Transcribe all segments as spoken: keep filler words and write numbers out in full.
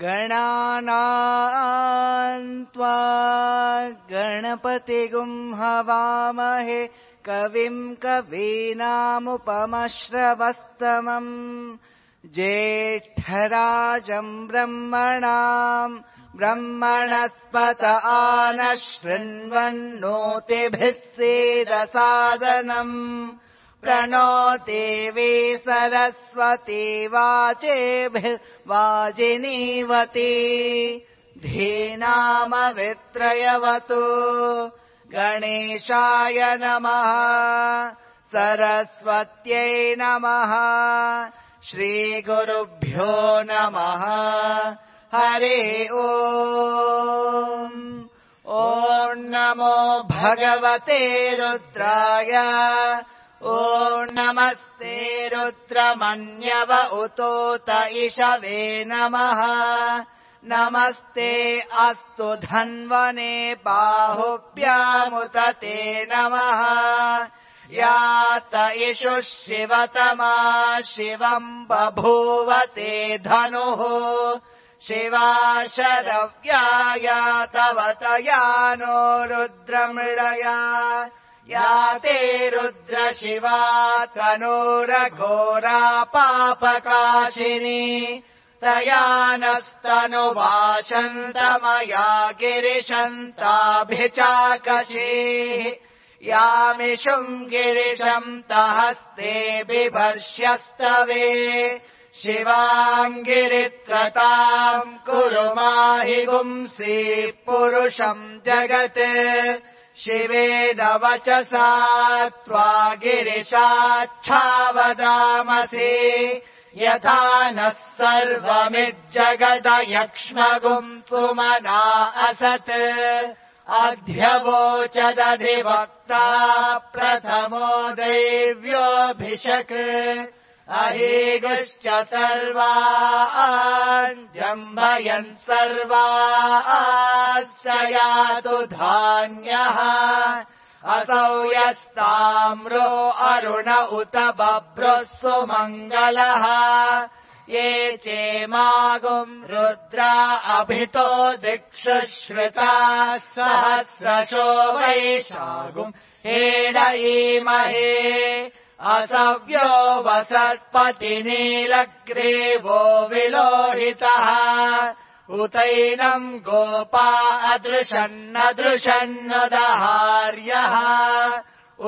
गणानां त्वा गणपतिगुं हवामहे कविं कवीनामुपमश्रवस्तमम् ज्येष्ठराजं ब्रह्मणां ब्रह्मणस्पत आनः शृण्वन्नोतिभिः सीदसादनम् प्रणो देवी सरस्वती वाचेभिर्वाजिनीवती धीनामवित्रयवतु गणेशाय नमः सरस्वत्यै नमः श्रीगुरुभ्यो नमः हरि ओम् ॐ नमो भगवते रुद्राय ॐ नमस्ते रुद्रमन्यव उतोत इषवे नमः नमस्ते अस्तु धन्वने बाहुभ्यामुत ते नमः यात इषुः शिवतमा शिवम् बभूव ते धनुः शिवा शरव्याया तव तयानो रुद्रमृडया या ते रुद्र शिवा तनूरघोरा पापकाशिनी तया नस्तनुवाशन्तमया गिरिशन्ताभिचाकशीः यामिषुम् गिरिशम् तहस्ते बिभर्ष्यस्तवे शिवाम् गिरित्रताम् कुरु माहि गुंसि पुरुषम् जगत् शिवेन वचसा त्वा गिरिशाच्छावदामसि यथा नः सर्वमिज्जगदयक्ष्मगुम् सुमना असत् अध्यवोचदधिवक्ता प्रथमो दैव्योऽभिषक् अहीगुश्च सर्वान् जम्भयन् सर्वाश्च यातु धान्यः असौ यस्ताम्रो अरुण उत बभ्रुः सुमङ्गलः ये चेमागुम् रुद्रा अभितो दिक्षु श्रुताः सहस्रशो वैशागुम् हेडयीमहे असव्यो वसर्पति नीलग्रीवो विलोहितः उतैनम् गोपा अदृशन्नदृशन्नदहार्यः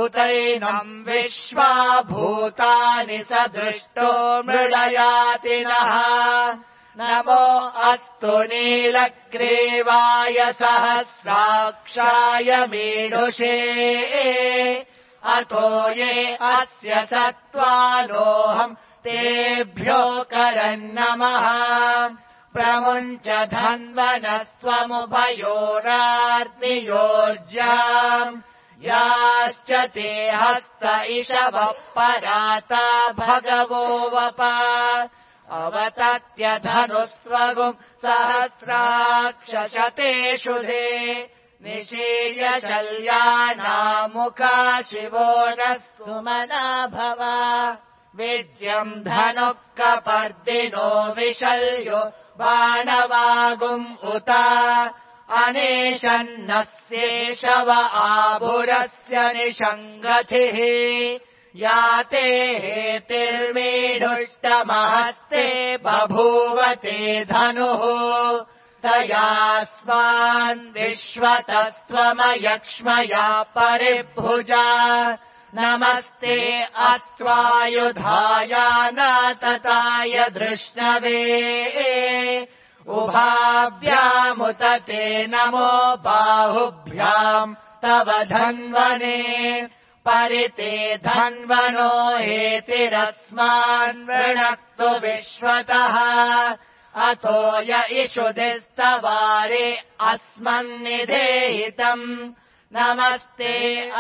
उतैनम् विश्वा भूतानि सदृष्टो मृडयातिनः नमो अस्तु नीलग्रीवाय सहस्राक्षाय मीडुषे अतो ये अस्य सत्त्वानोऽहम् तेभ्यो करन्नमः प्रमुञ्च धन्वनस्त्वमुभयोरार्तियोर्जाम् याश्च ते हस्त इषवः पराता भगवो वप अवतत्यधनुस्त्वगुम् सहस्राक्षशतेषु ते निशीर्य शल्यानामुखा शिवो नः सुमना भव विज्यम् धनुः कपर्दिनो विशल्यो बाणवागुम् उत अनेशन्नस्येषव आभुरस्य निषङ्गतिः या ते हेतिर्मीढुष्टमहस्ते बभूवते धनुः तयास्मान् विश्वतस्त्वमयक्ष्मया परिभुजा नमस्ते अस्त्वायुधायानातताय धृष्णवे उभाभ्यामुत ते नमो बाहुभ्याम् तव धन्वने परिते धन्वनो हेतिरस्मान् वृणक्तु विश्वतः अथो य इषुधिस्तवारे अस्मन्निधेहितम् नमस्ते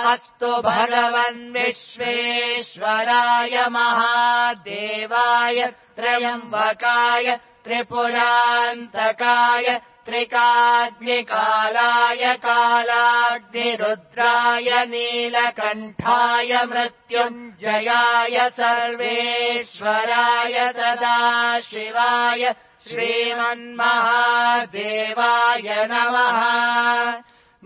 अस्तु भगवन् विश्वेश्वराय महादेवाय त्र्यम्बकाय त्रिपुरान्तकाय त्रिकाग्निकालाय कालाग्निरुद्राय नीलकण्ठाय मृत्युञ्जयाय सर्वेश्वराय सदाशिवाय श्रीमन्महादेवाय नमः।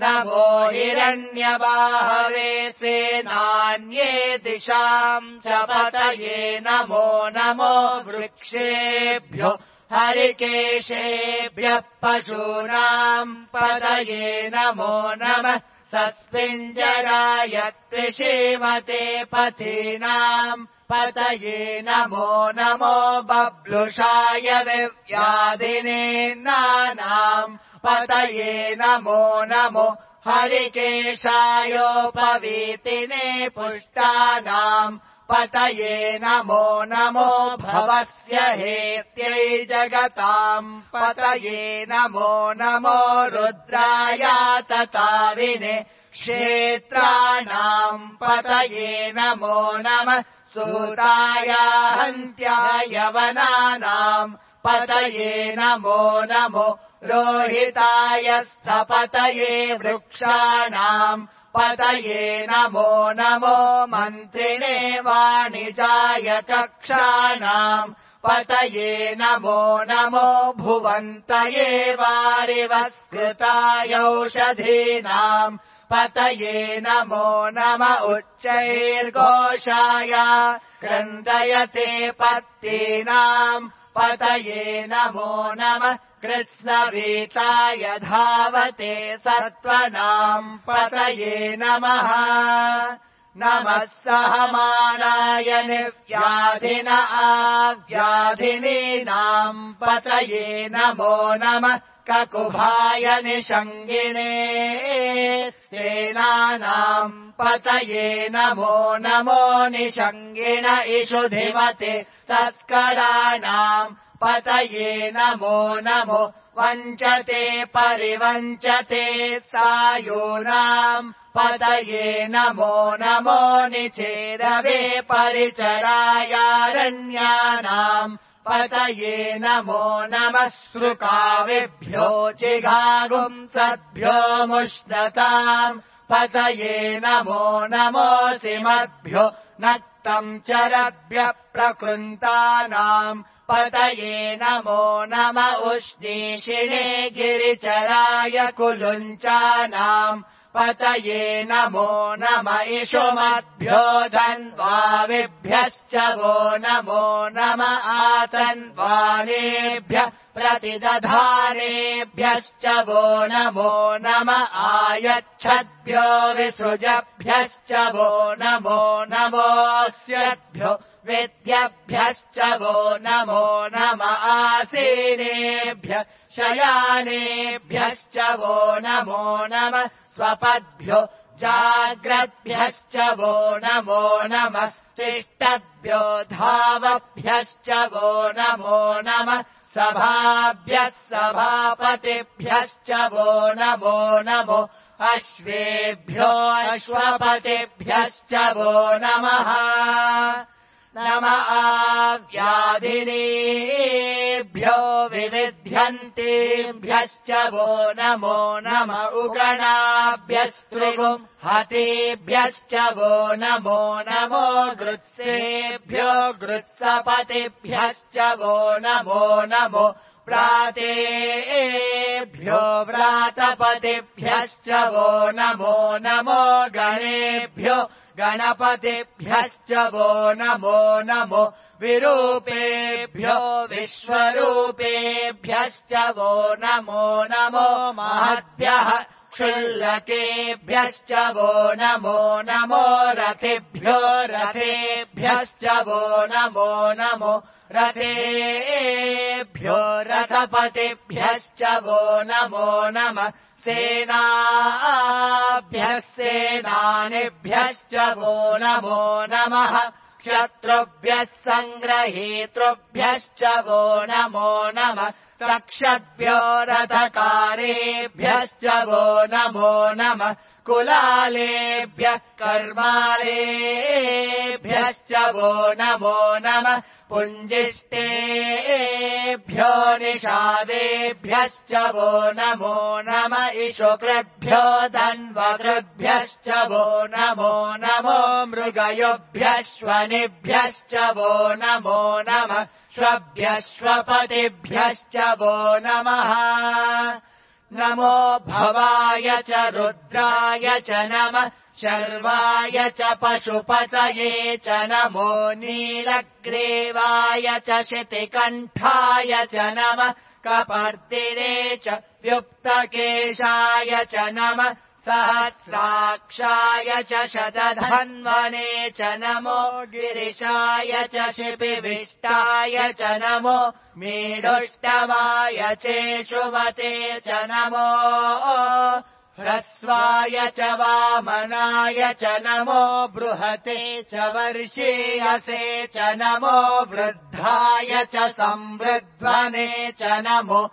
नमो हिरण्यबाहवे सेनान्ये दिशाम् च पतये नमो नमो वृक्षेभ्यो हरिकेशेभ्यः पशूनाम् पतये नमो नमः। सस्मिञ्जराय त्रिशीमते पथीनाम् पतये नमो नमो बब्लुषाय विव्याधिने नानाम् पतये नमो नमो हरिकेशायोपवीतिने पुष्टानाम् पतये नमो नमो भवस्य हेत्यै जगताम् पतये नमो नमो रुद्रायातताविने क्षेत्राणाम् पतये नमो नमः। सूताया हन्त्याय वनानाम् पतये नमो नमो रोहिताय स्थपतये वृक्षाणाम् पतये नमो नमो मन्त्रिणे वाणिजाय कक्षाणाम् पतये नमो नमो भुवन्तये वारिवस्कृतायौषधीनाम् पतये नमो नम उच्चैर्घोषाय क्रन्दयते पत्तीनाम् पतये नमो नमः। कृत्स्नवीताय धावते सत्त्वनाम् पतये नमः। नमः सहमानाय निव्याधिन आव्याधिनीनाम् पतये नमो नमः। ककुभाय निषङ्गिने सेनानाम् पतये नमो नमो निषङ्गिन इषुधिमते तस्कराणाम् पतये नमो नमो वञ्चते परिवञ्चते सायूनाम् पतये नमो नमो निचेदवे परिचरायारण्यानाम् पतये नमो नमः। श्रुकाविभ्यो जिघागुंसद्भ्यो मुष्णताम् पतये नमो नमोऽसिमद्भ्यो नक्तम् चरद्भ्यः प्रकृन्तानाम् पतये नमो नम उष्णीषिणे गिरिचराय कुलुञ्चानाम् पतये नमो नम इषुमद्भ्यो धन्वाविभ्यश्च वो नमो नम आतन्वानेभ्यः प्रतिदधानेभ्यश्च वो नमो नम आयच्छद्भ्यो विसृजभ्यश्च वो नमो नमोऽस्यद्भ्यो वेद्यभ्यश्च वो नमो नम आसीनेभ्यः शयानेभ्यश्च वो नमो नम स्वपद्भ्यो जाग्रद्भ्यश्च वो नमो नमस्तिष्ठद्भ्यो धावभ्यश्च वो नमो नमः। सभाभ्यः सभापतिभ्यश्च वो नमो नमो अश्वेभ्यो अश्वपतिभ्यश्च वो नमः। नम आव्याधिनीभ्यो विविध्यन्तेभ्यश्च वो नमो नम उगणाभ्यस्त्रिगुम् हतेभ्यश्च वो नमो नमो गृत्सेभ्यो गृत्सपतिभ्यश्च वो नमो नमो प्रातेभ्यो व्रातपतिभ्यश्च वो नमो नमो गणेभ्यो गणपतिभ्यश्च वो नमो नमो विरूपेभ्यो विश्वरूपेभ्यश्च वो नमो नमो महद्भ्यः क्षुल्लकेभ्यश्च वो नमो नमो रथेभ्यो रथेभ्यश्च वो नमो नमो रथेभ्यो रथपतिभ्यश्च वो नमो नमः। सेनाभ्यः सेनानिभ्यश्च वो नमो नमः। क्षत्रुभ्यः सङ्ग्रहेतृभ्यश्च वो नमो नमः। सक्षद्भ्यो रथकारेभ्यश्च वो नमो नमः। कुलालेभ्यः कर्मालेभ्यश्च वो नमो नमः। पुञ्जिष्टेभ्यो निषादेभ्यश्च वो नमो नम इषुकृद्भ्यो धन्वकृद्भ्यश्च वो नमो नमो मृगयोभ्यश्वनिभ्यश्च वो नमो नमः। श्वभ्यश्वपतिभ्यश्च वो नमः नमो भवाय च रुद्राय च नमः शर्वाय च पशुपतये च नमो नीलग्रीवाय च शितिकण्ठाय च नमः कपर्दिने च व्युक्तकेशाय च नमः सहस्राक्षाय च शतधन्वने च नमो गिरिशाय च शिपिविष्टाय च नमो मीडुष्टमाय चेषुमते च नमो ह्रस्वाय च वामनाय च नमो बृहते च वर्षीयसे च नमो वृद्धाय च संवृध्वने च नमो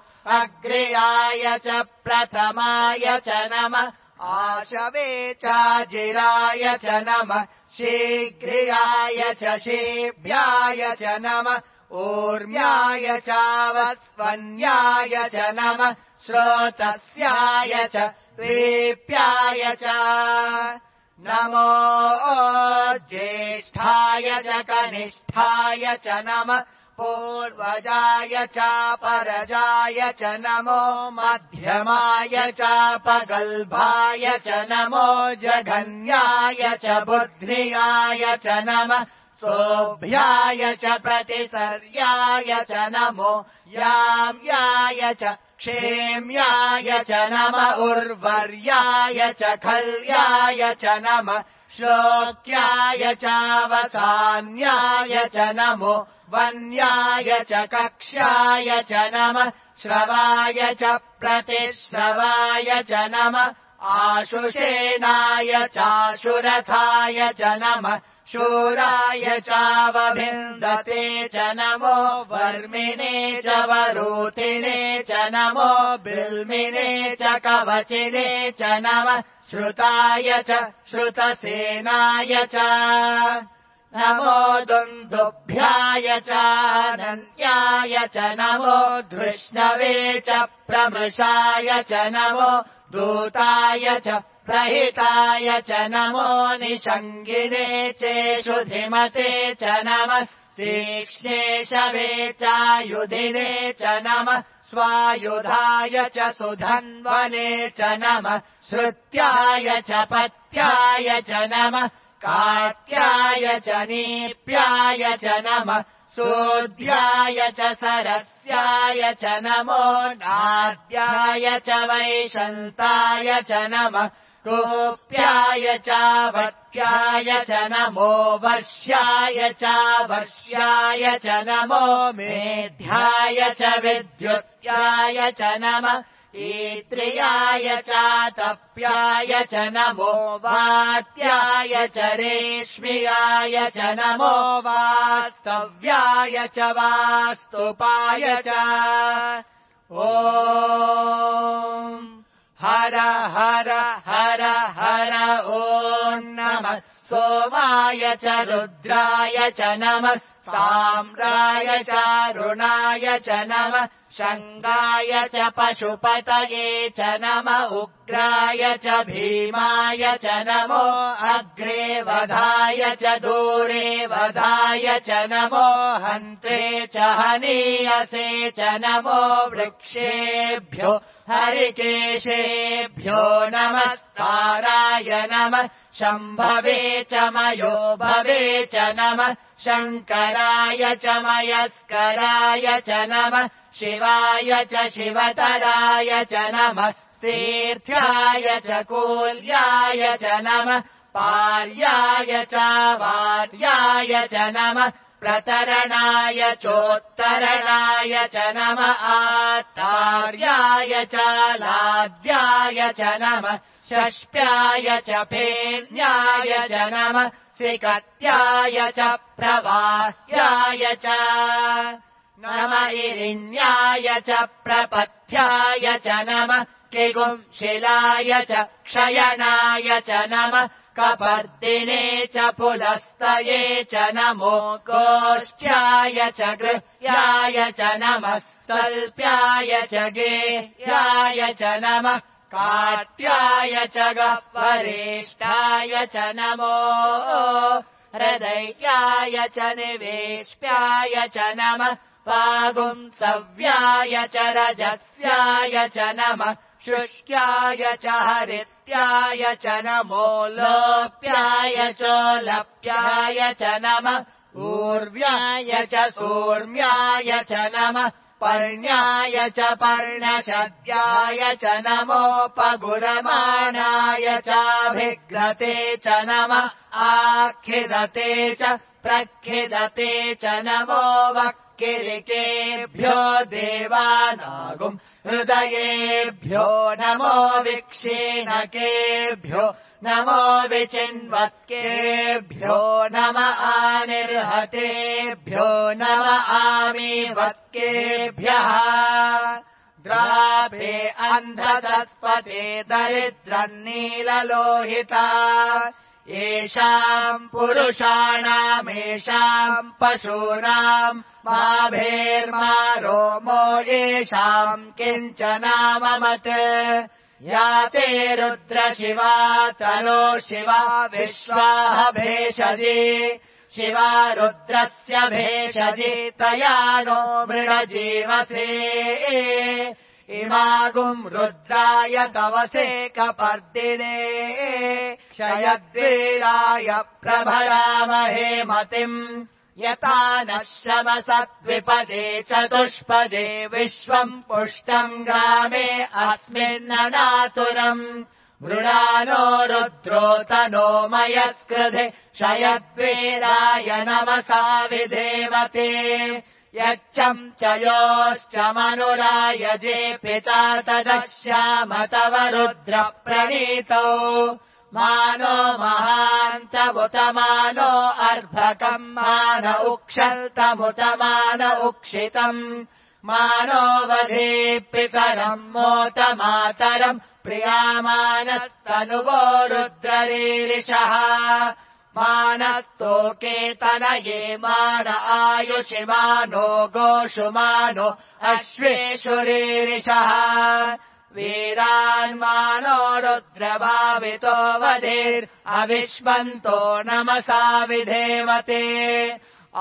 अग्र्याय च प्रथमाय च नमः आशवे चाजिराय च नमः शीघ्रियाय च शीभ्याय च नमः ऊर्म्याय चावस्वन्याय च नमः श्रोतस्याय च द्वीप्याय च नमो ज्येष्ठाय च कनिष्ठाय च नमः पूर्वजाय चापरजाय च नमो मध्यमाय चापगल्भाय च नमो जघन्याय च बुद्ध्याय च नमः सोऽभ्याय च प्रतिसर्याय च नमो याम्याय च क्षेम्याय च नमः उर्वर्याय च खल्याय च नमः श्लोक्याय चावसान्याय च नमो वन्याय च कक्ष्याय च नमः श्रवाय च प्रतिश्रवाय च नमः आशुषेणाय चाशुरथाय च नमः शूराय चावभिन्दते च नमो वर्मिणे च वरूतिने च नमो बिल्मिने च कवचिने च नमः श्रुताय च श्रुतसेनाय च नमो दुन्दुभ्याय चानन्याय च नमो धृष्णवे च प्रमृषाय च नमो दूताय च प्रहिताय च नमो निषङ्गिने चेषुधिमते च नमः श्रीक्ष्णेशवे चायुधिने च नमः स्वायुधाय च सुधन्वने च नमः श्रुत्याय च पत्याय च नमः काट्याय च नीप्याय च नमः सूद्याय च सरस्याय च नमो नाद्याय च वैशन्ताय च नमः गोप्याय चावट्याय च नमो वर्ष्याय चावर्ष्याय च नमो मेध्याय च विद्युत्याय च नमः ईत्रियाय चातप्याय च नमो वात्याय च रेश्म्याय च नमो वास्तव्याय च वास्तुपाय च ॐ हर हर हर हर ॐ नमः सोमाय च रुद्राय च नमः साम्राय चारुणाय च नमः शङ्गाय च पशुपतये च नमः उग्राय च भीमाय च नमो अग्रे वधाय च दूरे वधाय च नमो हन्त्रे च हनीयसे च नमो वृक्षेभ्यो हरिकेशेभ्यो नमस्ताराय नमः शम्भवे च मयो भवे च नमः शङ्कराय च मयस्कराय च नमः शिवाय च शिवतराय च नमः तीर्थ्याय च कूल्याय च नमः पार्याय च वार्याय च नमः प्रतरणाय चोत्तरणाय च नमः आत्तार्याय च लाद्याय च नमः षष्ठ्याय च फेन्याय च नमः स्विकत्याय च प्रवाह्याय च नम इरिण्याय च प्रपथ्याय च नमः किगुंशिलाय च क्षयणाय च नमः कपर्दिने च पुलस्तये च नमो गोष्ठ्याय च गृह्याय च नमः सल्प्याय च गेह्याय च नमः काट्याय च गह्वरेष्ठाय च नमो हृदयाय च निवेश्याय च नमः पागुंसव्याय च रजस्याय च नमः शुष्क्याय च हरित्याय च नमो लोप्याय चोलप्याय च नमः ऊर्व्याय च सूर्म्याय च नमः पर्ण्याय च पर्णशद्याय च नमोपगुरमाणाय चाभिघ्नते च नमः आखिदते च प्रखिदते च नमो वक्किरिकेभ्यो देवानागुम् हृदयेभ्यो नमो विक्षीणकेभ्यो नमो विचिन्वत्केभ्यो नम आनिर्हतेभ्यो नम आमीवत्केभ्यः द्राभे अन्धतस्पते दरिद्रन्नीललोहिता येषाम् पुरुषाणामेषाम् पशूनाम् माभेर्मा रोमो येषाम् किञ्चनाममत् या ते रुद्रशिवा तनो शिवा विश्वाह भेषजी शिवा रुद्रस्य भेषजी तया नो मृणजीवसे इमागुम् रुद्राय तवसे कपर्दिने क्षयद्वीराय प्रभरामहे मतिम् यता नः शमसद्विपदे चतुष्पदे विश्वम् पुष्टम् ग्रामे अस्मिन्ननातुरम् मृणानो रुद्रोतनो मयस्कृधे क्षयद्वीराय नमसा विधेवते यच्छम् च योश्च मनुरायजे पिता तदश्याम तव रुद्र प्रणीतौ मानो महान्तमुत मानो अर्भकम् मान उक्षन्तमुत मान उक्षितम् मानो वधे पितरम् मोत मातरम् प्रियामानस्तनुवो रुद्ररीरिषः मानस्तोकेतनये मान आयुषि मानो गोषु मानो अश्वेषुरीरिषः वीरान्मानो रुद्रभावितो वधेर् अविश्वन्तो नमसा विधेवते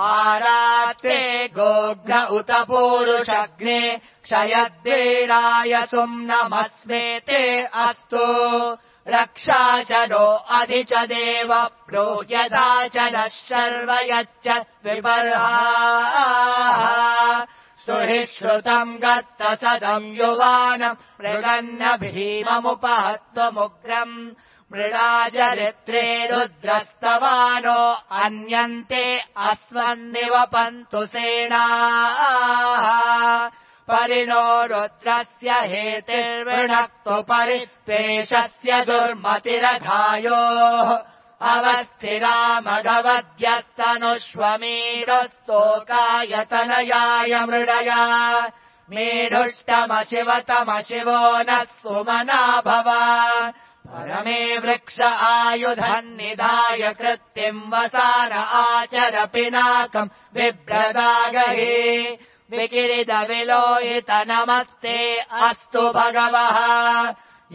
आरात्रे गोघ्न उत पूरुषग्ने क्षयद्वीराय सुम्नमस्मेते अस्तु रक्षा च नो अधि च देव प्रो यदा च नः शर्व यच्च विपर्हाः स्तुहि श्रुतम् गत्त सदम् युवानम् मृगन्न भीममुपहत्वमुग्रम् मृडाजरित्रे रुद्रस्तवानो अन्यन्ते अस्मन्निवपन्तु सेनाः परिणो रुद्रस्य हेतिर्वृणक्तु परित्वेषस्य दुर्मतिरघायोः अवस्थिरामघवद्यस्तनुष्वमीरुस्तोकायतनयाय मृडया मेढुष्टमशिवतमशिवो नः सुमना भव परमे वृक्ष आयुधन्निधाय कृत्तिम् वसान आचर पिनाकम् बिभ्रदागहे विकिरिदविलोहित नमस्ते अस्तु भगवः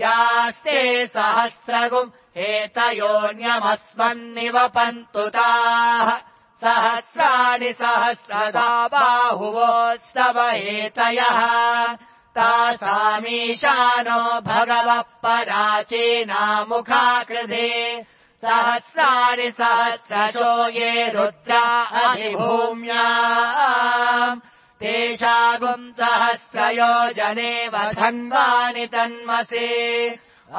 यास्ते सहस्रगुम् एतयोऽन्यमस्मन्निवपन्तु ताः सहस्राणि सहस्रदा बाहुवोत्सव एतयः तासामीशानो भगवः पराचीनामुखाकृधे सहस्राणि सहस्रशो ये रुद्रा अधिभूम्याम् तेषागुम् सहस्रयोजनेव धन्वानि तन्मसे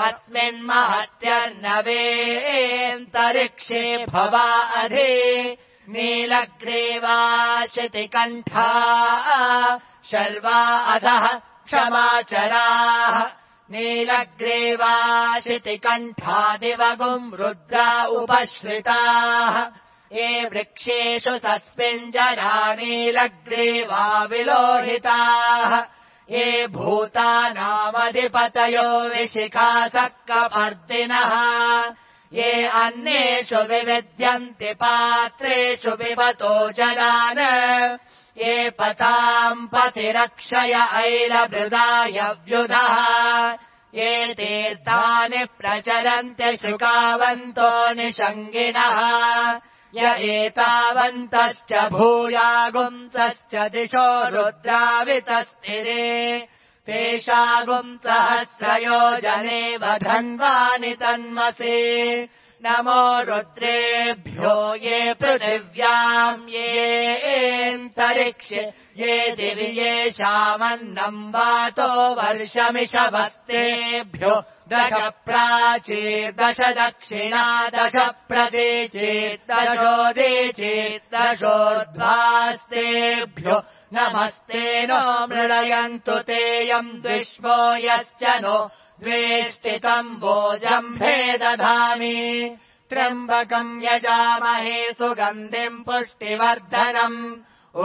अस्मिन्महत्यर्नवेऽन्तरिक्षे भवा अधि नीलग्रीवाशितिकण्ठा शर्वा अधः क्षमाचराः नीलग्रीवाशितिकण्ठादिवगुम् रुद्रा उपश्रिताः ये वृक्षेषु सस्मिञ्जरा नीलग्रीवा विलोहिताः ये भूतानामधिपतयो विशिखासक्कपर्दिनः ये अन्येषु विविद्यन्ति पात्रेषु पिबतो जनान् ये पताम् पथिरक्षय ऐलभृदाय व्युधः ये तीर्थानि प्रचरन्ति शुकावन्तो निषङ्गिणः य एतावन्तश्च भूयागुंसश्च दिशो रुद्रावितस्तिरे तेषागुंसहस्रयोजने वधन्वानि तन्मसे नमो रुद्रेभ्यो ये पृथिव्याम् येऽन्तरिक्षे ये दिवि येषामन्नम् वातो वर्षमिषभस्तेभ्यो दश प्राचीर्दश दक्षिणा दश प्रतीचीर्दशोदीचीर्दशोर्ध्वास्तेभ्यो नमस्ते नो मृळयन्तु तेयम् द्विष्वो यश्च नो द्वेष्टितम् भोजम्भे दधामि त्र्यम्बकम् यजामहे सुगन्धिम् पुष्टिवर्धनम्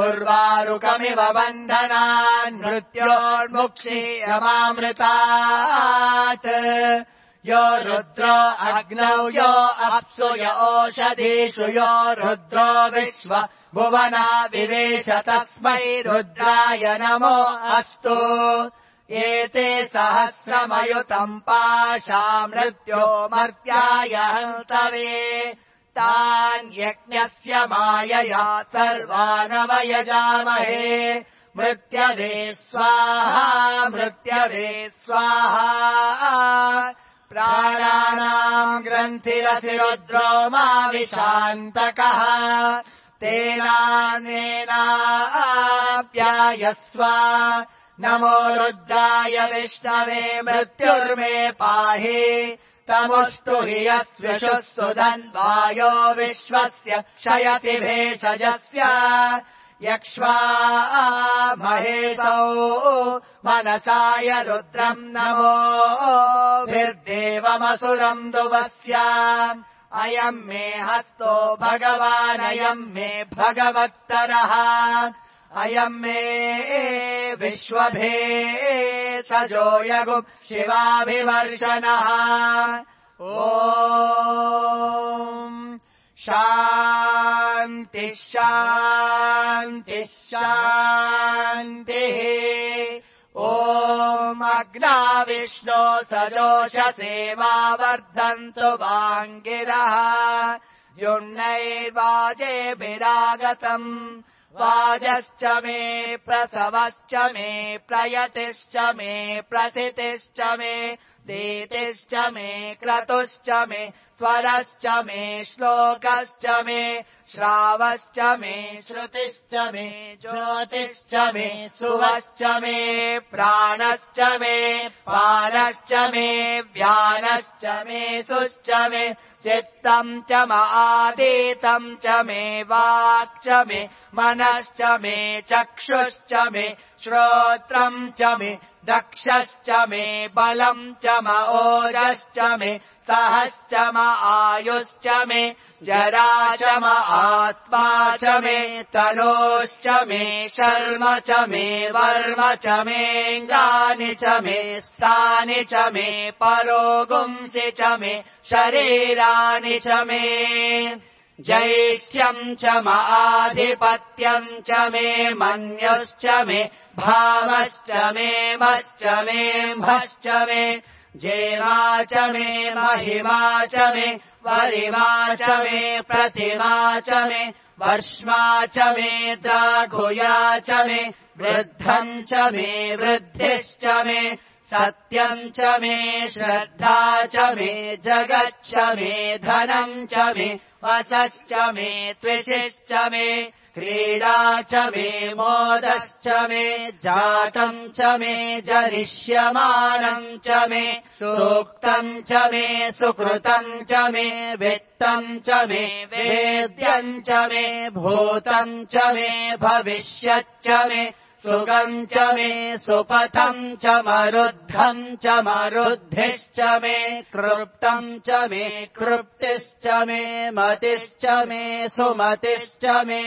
उर्वारुकमिव बन्धनान् मृत्योर्मुक्षीयमामृतात् यो रुद्रो अग्नौ यो अप्सु य ओषधीषु यो रुद्रो विश्व भुवना विवेश तस्मै रुद्राय नमो अस्तु एते सहस्रमयुतम् पाशा मृत्यो मर्त्याय हन्तवे तान् यज्ञस्य मायया सर्वानवयजामहे मृत्यवे स्वाहा मृत्यवे स्वाहा प्राणानाम् ग्रन्थिरसि रुद्रो मा विशान्तकः तेनानेनाप्यायस्व नमो रुद्राय विष्णवे मृत्युर्मे पाहि तमुस्तु हि यस्विषुः सुधन्वायो विश्वस्य क्षयति भेषजस्य यक्ष्वा महेशौ मनसाय रुद्रम् नमो भिर्देवमसुरम् दुवस्य अयम् मे हस्तो भगवानयम् मे भगवत्तरः अयम् मे विश्वभे सजो यगुम् शिवाभिवर्षणः ॐ शान्तिः शान्तिः शान्तिः ॐ अग्ना विष्णो सजोषसे मा वर्धन्तु वाङ्गिरः युण्णैर्वाजेभिरागतम् वाजश्च मे प्रसवश्च मे प्रयतिश्च मे प्रसितिश्च मे दीतिश्च मे क्रतुश्च मे स्वरश्च मे श्लोकश्च मे श्रावश्च मे श्रुतिश्च मे ज्योतिश्च मे सुवश्च मे प्राणश्च मे पानश्च मे व्यानश्च मे सुश्च मे चित्तम् च मादीतम् च मे वाक् च मे मनश्च मे चक्षुश्च मे श्रोत्रम् च मे दक्षश्च मे बलम् च म ओजश्च मे सहश्च म आयुश्च मे जरा च म आत्मा च मे तनोश्च मे शर्म च मे वर्म च मेऽङ्गानि च मे स्थानि च मे परोगुंसि च मे शरीराणि च मे जैष्ठ्यम् च म आधिपत्यम् च मे मन्युश्च मे भावश्च मे मश्च मे म्भश्च मे जेमा च मे महिमा च मे वरिमा च मे प्रतिमा च मे वर्ष्मा च मे द्राघुया च मे वृद्धम् च मे वृद्धिश्च मे सत्यम् च मे श्रद्धा च मे जगच्च मे धनम् च मे वसश्च मे त्विषिश्च मे क्रीडा च मे मोदश्च मे जातम् च मे जनिष्यमानम् च मे सूक्तम् च मे सुकृतम् च मे वित्तम् च मे वेद्यम् च मे भूतम् च मे भविष्यच्च मे सुगम् च मे सुपथम् च मरुद्धम् च मरुद्धिश्च मे कृप्तम् च मे कृप्तिश्च मे मतिश्च मे सुमतिश्च मे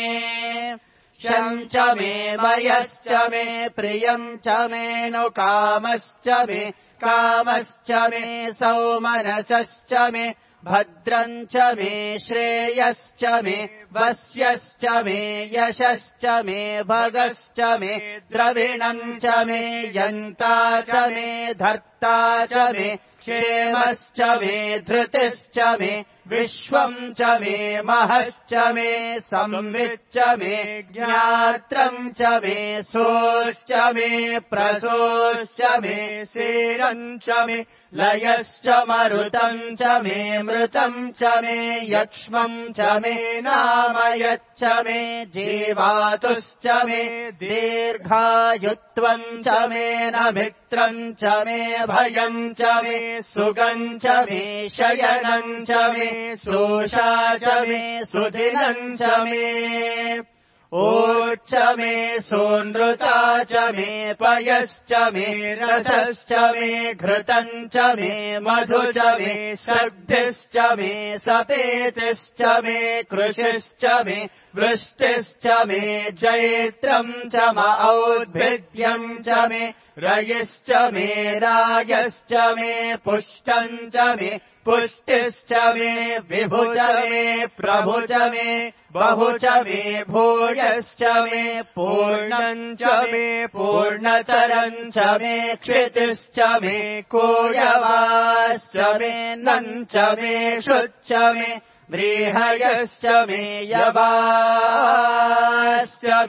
शम् च मे मयश्च मे प्रियम् च मे नु कामश्च मे कामश्च मे सौमनसश्च मे भद्रम् च मे श्रेयश्च मे वस्यश्च मे यशश्च मे भगश्च मे द्रविणम् च मे यन्ता च मे धर्ता च मे क्षेमश्च मे धृतिश्च मे विश्वम् च मे महश्च मे संविच्च मे ज्ञात्रम् च मे सोश्च मे प्रसोश्च मे सेरम् च मे लयश्च मरुतम् च मे मृतम् च मे यक्ष्मम् च मे नामयच्च मे जीवातुश्च मे दीर्घायुत्वम् च मे नमित्रम् च मे भयम् च मे सुगम् च मे शयनम् च मे सोषा च मे सुदिनम् च मे ओच्च मे सोनृता च मे पयश्च मे रसश्च मे घृतम् च मे मधु च मे शब्दिश्च मे सपेतिश्च मे कृषिश्च मे वृष्टिश्च मे जैत्रम् च म औद्भिद्यम् च मे रयिश्च मे रायश्च मे पुष्टम् च मे पुष्टिश्च मे विभु च मे प्रभु च मे बहु च मे भूयश्च मे पूर्णम् च मे पूर्णतरम् च मे क्षितिश्च मे कोयवाश्च मे नम् च मे शुच्च मे व्रीहयश्च मे यवाश्च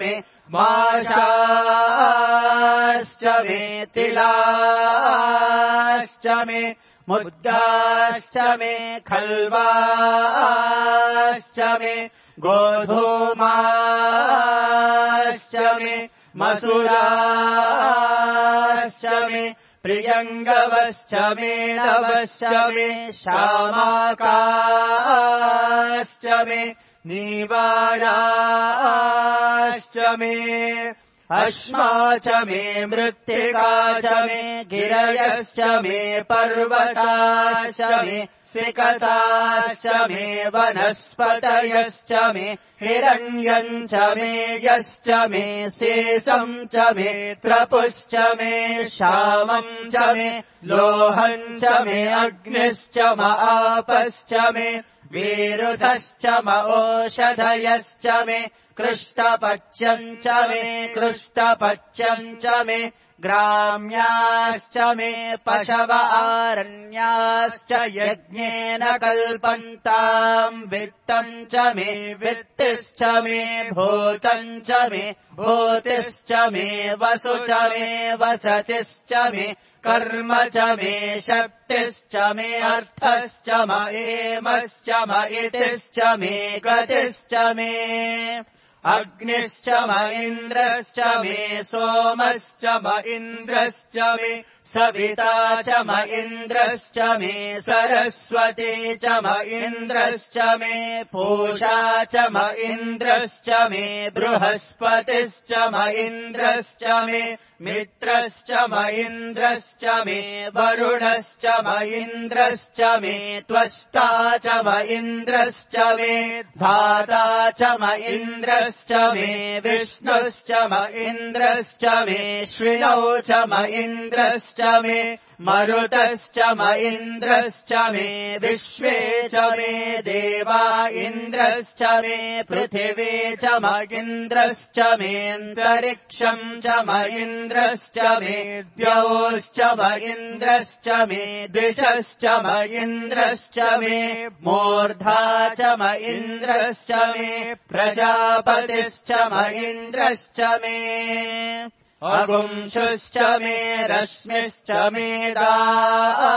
मे माशाश्च मे तिलाश्च मे मुद्गाश्च मे खल्वाश्च मे गोधूमाश्च मे मसुराश्च मे प्रियङ्गवश्च मे नवश्च मे श्यामाकाश्च मे नीवाराश्च मे अश्मा च मे मृत्तिका च मे गिरयश्च मे पर्वताश्च मे सिकताश्च मे वनस्पतयश्च मे हिरण्यम् च मे यश्च मे शेषम् च मे त्रपुश्च मे श्यामम् च मे लोहम् च मे अग्निश्च म आपश्च मे विरुधश्च म ओषधयश्च मे कृष्टपच्यम् च मे कृष्टपच्यम् च मे ग्राम्याश्च मे पशव आरण्याश्च यज्ञेन कल्पन्ताम् वित्तम् च मे वित्तिश्च मे भूतम् च मे भूतिश्च मे वसु च मे वसतिश्च मे कर्म च मे शक्तिश्च मे अर्थश्च म एमश्च म इतिश्च मे गतिश्च मे अग्निश्च म इन्द्रश्च मे सोमश्च म इन्द्रश्च मे सविता च म इन्द्रश्च मे सरस्वती च म इन्द्रश्च मे पूषा च म इन्द्रश्च मे बृहस्पतिश्च म इन्द्रश्च मे मित्रश्च म इन्द्रश्च मे वरुणश्च म इन्द्रश्च मे त्वष्टा च म इन्द्रश्च मे धाता च म इन्द्रश्च मे विष्णुश्च म इन्द्रश्च मे श्विनौ च म इन्द्रश्च मे मरुतश्च म इन्द्रश्च मे विश्वे च मे देवा इन्द्रश्च मे पृथिवी च म इन्द्रश्च मेऽन्तरिक्षम् च म इन्द्रश्च मे द्यौश्च म इन्द्रश्च मे द्विषश्च म इन्द्रश्च मे मूर्धा च म इन्द्रश्च मे प्रजापतिश्च म इन्द्रश्च मे अगुंशुश्च मे रश्मिश्च मे दाभ्यश्च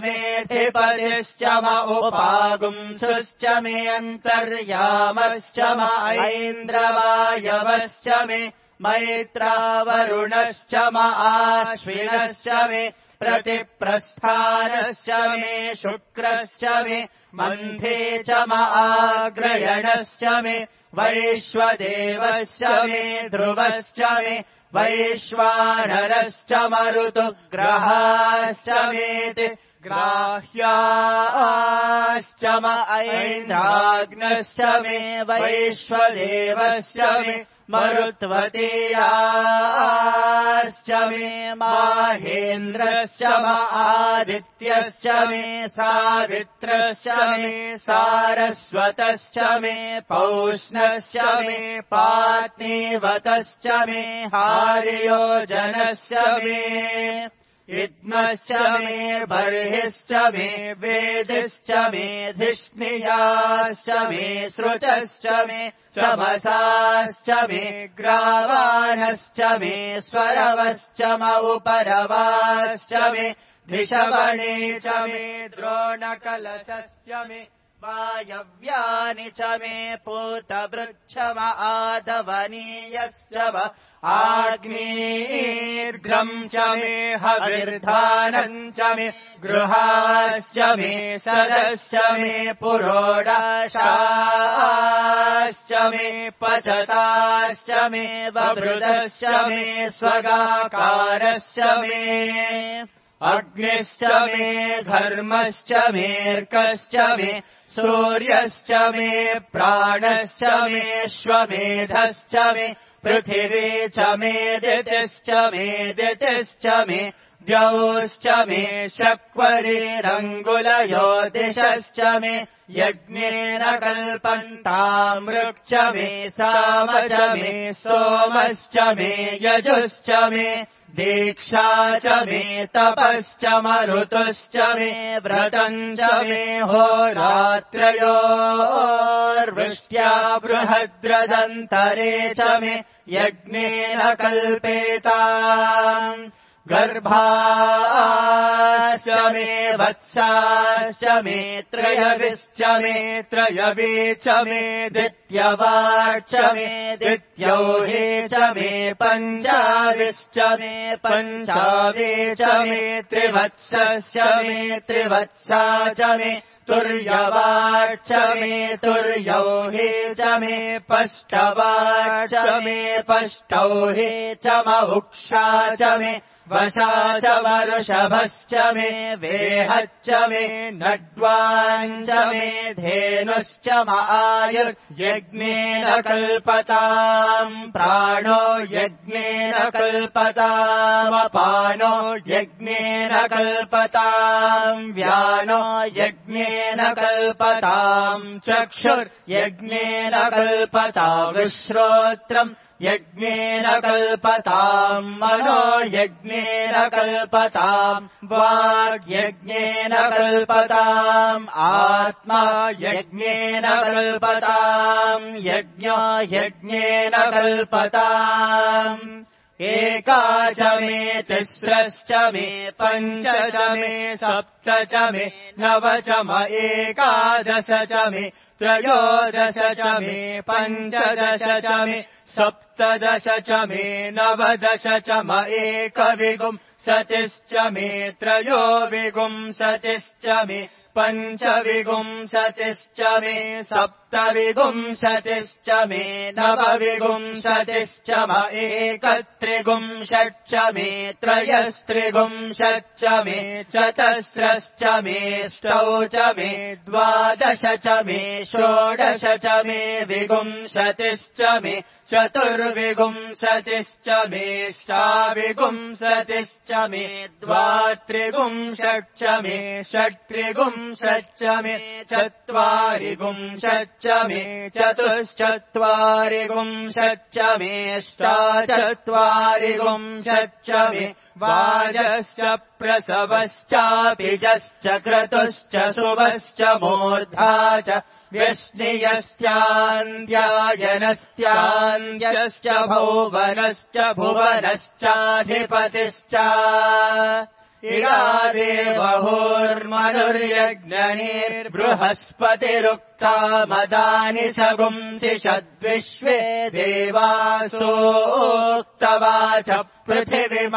मे धिपतिश्च म उपागुंशुश्च मे अन्तर्यामश्च म ऐन्द्रवायवश्च मे मैत्रावरुणश्च म आश्विनश्च मे प्रतिप्रस्थानश्च मे शुक्रश्च मे मन्थे च म आग्रयणश्च मे वैश्वदेवश्च मे ध्रुवश्च मे वैश्वानरश्च मरुतुग्रहाश्च मेति ग्राह्याश्च म ऐन्द्राग्नश्च मे वैश्वदेवश्च मे मरुत्वतीयाश्च मे माहेन्द्रश्च म आदित्यश्च मे सावित्रश्च मे सारस्वतश्च मे पौष्णश्च मे पात्नीवतश्च मे हार्योजनश्च मे इद्मश्च मे बर्हिश्च मे वेदिश्च मे धिष्णियाश्च मे श्रुतश्च मे चमसाश्च मे ग्रावाणश्च मे स्वरवश्च मौपरवाश्च मे धिषवणे च मे द्रोणकलशश्च मे वायव्यानि च मे पूतवृक्षम आधवनीयश्च व आग्नेर्घ्रम् च मे हविर्धानम् च मे गृहाश्च मे सदश्च मे पुरोडाशाश्च मे पचताश्च मे ववृदश्च मे स्वगाकारश्च मे अग्निश्च मे धर्मश्च मेऽर्कश्च मे सूर्यश्च मे प्राणश्च मे श्वमेधश्च मे पृथिवी च मे दितिश्च मे दितिश्च मे द्यौश्च मे शक्वरीरङ्गुलयोतिषश्च मे यज्ञेन कल्पन्तामृक् च मे साम च मे सोमश्च मे यजुश्च मे दीक्षा च मे तपश्च मरुतुश्च मे व्रतम् च मे होरात्रयोर्वृष्ट्या बृहद्रदन्तरे च मे यज्ञेन कल्पेताम् गर्भाश्च मे वत्साश्च मे त्रयविश्च मे त्रयवे च मे दित्यवाच्च मे दित्यौहे च मे पञ्चाविश्च मे पञ्चावे च मे त्रिवत्सश्च मे त्रिवत्सा च मे तुर्यवाच्च मे तुर्यौहे च मे पष्टवाच्च मे पष्टौहे च महुक्षा च मे वशा च वरुषभश्च मे वेहच्च मे नड्वाञ्च मे धेनुश्च आयुर्यज्ञेन कल्पताम् प्राणो यज्ञेन कल्पतामपानो यज्ञेन कल्पताम् व्यानो यज्ञेन कल्पताम् चक्षुर्यज्ञेन कल्पताम् श्रोत्रम् यज्ञेन कल्पताम् मनो यज्ञेन कल्पताम् वाग्यज्ञेन कल्पताम् आत्मा यज्ञेन कल्पताम् यज्ञो यज्ञेन कल्पताम् एका च मे तिस्रश्च मे पञ्च च मे सप्त च मे नव च म एकादश च मे त्रयोदश च मे पञ्चदश च मे सप्तदश च मे नवदश च म एकविंशतिश्च मे त्रयोविंशतिश्च मे पञ्चविंशतिश्च मे सप्तविंशतिश्च मे नवविंशतिश्च म एकत्रिंशच्च मे त्रयस्त्रिंशच्च मे चतस्रश्च मे ष्टौ च मे द्वादश च मे षोडश च मे विंशतिश्च मे चतुर्विंशतिश्च मे ष्टाविंशतिश्च मे द्वात्रिंशच्च मे षट्त्रिंशच्च मे चत्वारिंशच्च मे चतुश्चत्वारिंशच्च मे अष्टाचत्वारिंशच्च मे वाजश्च प्रसवश्चापिजश्च क्रतुश्च शुभश्च मूर्धा च व्यश्नियश्चान्द्यायनश्चान्द्यश्च भुवनश्च भुवनश्चाधिपतिश्च इरादेवहुर्मनुर्यज्ञनिर्बृहस्पतिरुक्ता मदानि सगुंसि षद्विश्वे देवासोक्तवाच पृथिवीमातर्मामाहि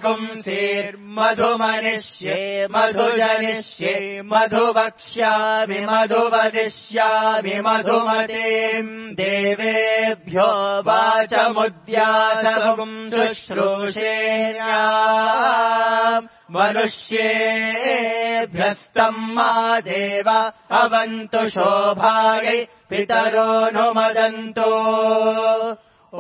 गुंसीर्मधुमनिष्ये मधुजनिष्ये मधुवक्ष्यामि मधुवदिष्यामि मधुमतीम् देवेभ्यो वाचमुद्यासगुम् शुश्रूषेण्या मनुष्येभ्यस्तम् मा देव अवन्तु शोभायै पितरो नुमदन्तु ॐ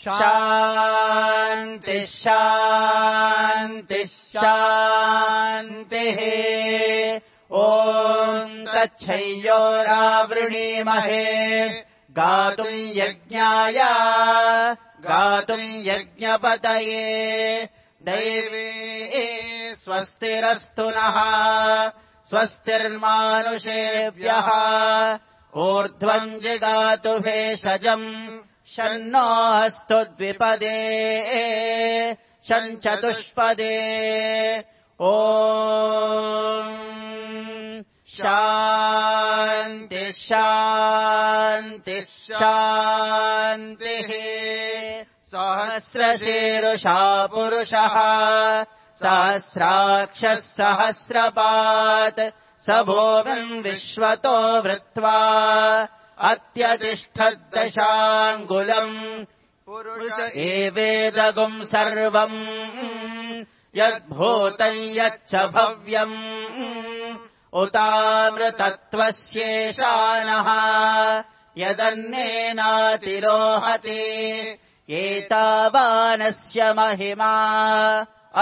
शान्ति शान्ति शान्तिः ॐ तच्छय्योरावृणीमहे गातुम् यज्ञाय गातुम् यज्ञपतये दैवे स्वस्तिरस्तु नः स्वस्तिर्मानुषेभ्यः ऊर्ध्वम् जिगातु भेषजम् शन्नो अस्तु द्विपदे शञ्चतुष्पदे ॐ शान्ति शान्ति शान्तिः सहस्रशीरुषा पुरुषः सहस्राक्षः सहस्रपात् स भूमिम् विश्वतो वृत्वा अत्यतिष्ठद्दशाङ्गुलम् पुरुष एवेदगुम् सर्वम् यद्भूतम् यच्च भव्यम् उतामृतत्वस्येषानः यदन्नेनातिरोहति एतावानस्य महिमा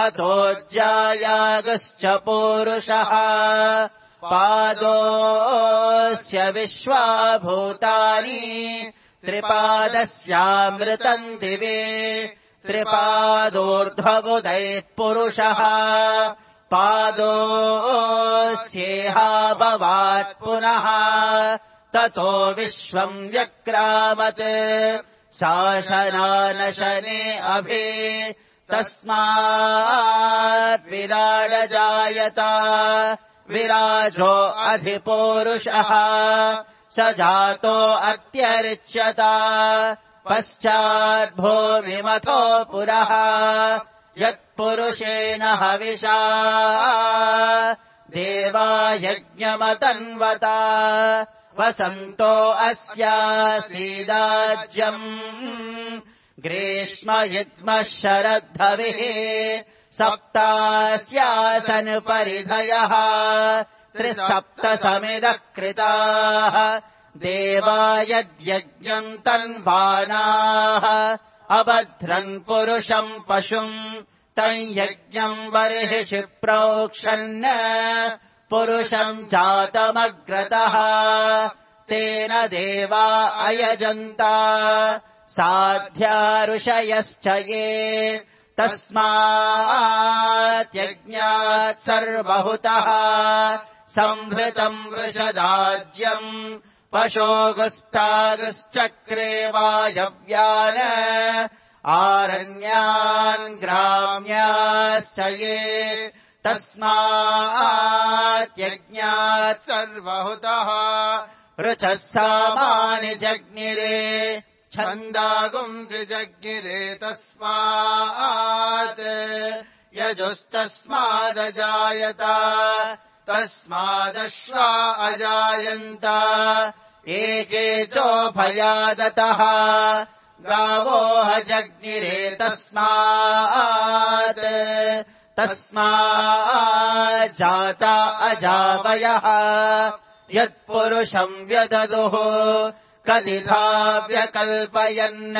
अतोऽज्जायागश्च पूरुषः पादोऽस्य विश्वाभूतानि त्रिपादस्यामृतम् दिवे त्रिपादोर्ध्वबुधैः पुरुषः पादोऽस्येहाभवात् पुनः ततो विश्वम् व्यक्रामत् शासनानशने अभि तस्मात् विराडजायत विराजो अधिपूरुषः स जातो अत्यरिच्यत पश्चाद्भूमिमथो पुरः यत्पुरुषेण हविषा देवा यज्ञमतन्वता वसन्तो अस्यासीदाज्यम् ग्रीष्म युग्मः शरद्धविः सप्तास्यासन् परिधयः त्रिसप्तसमिदः कृताः देवा यद्यज्ञम् तन्वानाः अबध्रन् पुरुषम् पशुम् तम् यज्ञम् बर्हिषि प्रोक्षन् पुरुषम् जातमग्रतः तेन देवा अयजन्त साध्या ऋषयश्च ये तस्मात् यज्ञात् सर्वहुतः संहृतम् वृषदाज्यम् पशोगुस्तागुश्चक्रे वायव्यान् आरण्यान् ग्राम्याश्च ये तस्मात् यज्ञात् सर्वहुतः ऋचः सामानि जज्ञिरे छन्दागुंसि जज्ञिरे तस्मात् यजुस्तस्मादजायत तस्मादश्वा अजायन्त एके चोभयादतः गावोह जज्ञिरे तस्मात् तस्माज्जाता अजावयः यत्पुरुषम् व्यददुः कदिधा व्यकल्पयन्